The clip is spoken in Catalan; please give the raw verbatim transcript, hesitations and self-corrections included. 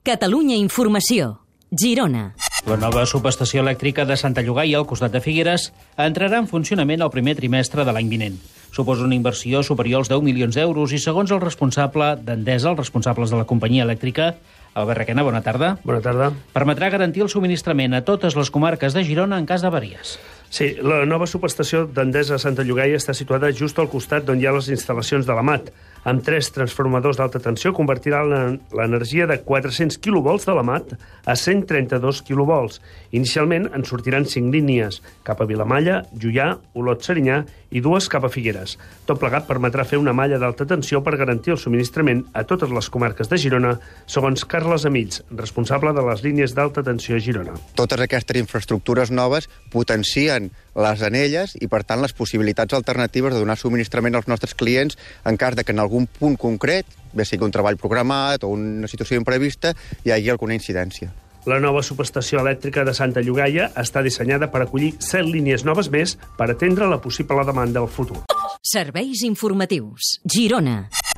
Catalunya Informació. Girona. La nova subestació elèctrica de Santa Llogaia, al costat de Figueres, entrarà en funcionament el primer trimestre de l'any vinent. Suposa una inversió superior als deu milions d'euros i, segons el responsable d'Endesa, els responsables de la companyia elèctrica, Albert Requena, bona tarda. Bona tarda. Permetrà garantir el subministrament a totes les comarques de Girona en cas d'avaries. Sí, la nova subestació d'Endesa a Santa Llogaia està situada just al costat d'on hi ha les instal·lacions de la M A T. Amb tres transformadors d'alta tensió convertirà l'energia de quatre-cents quilovolts de la M A T a cent trenta-dos quilovolts. Inicialment en sortiran cinc línies, cap a Vilamalla, Juià, Olot-Serinyà i dues cap a Figueres. Tot plegat permetrà fer una malla d'alta tensió per garantir el subministrament a totes les comarques de Girona, segons Carles Amills, responsable de les línies d'alta tensió a Girona. Totes aquestes infraestructures noves potencien les anelles i, per tant, les possibilitats alternatives de donar subministrament als nostres clients en cas de que en algun punt concret, bé sigui un treball programat o una situació imprevista, hi hagi alguna incidència. La nova subestació elèctrica de Santa Llogaia està dissenyada per acollir set línies noves més per atendre la possible demanda del futur. Serveis informatius. Girona.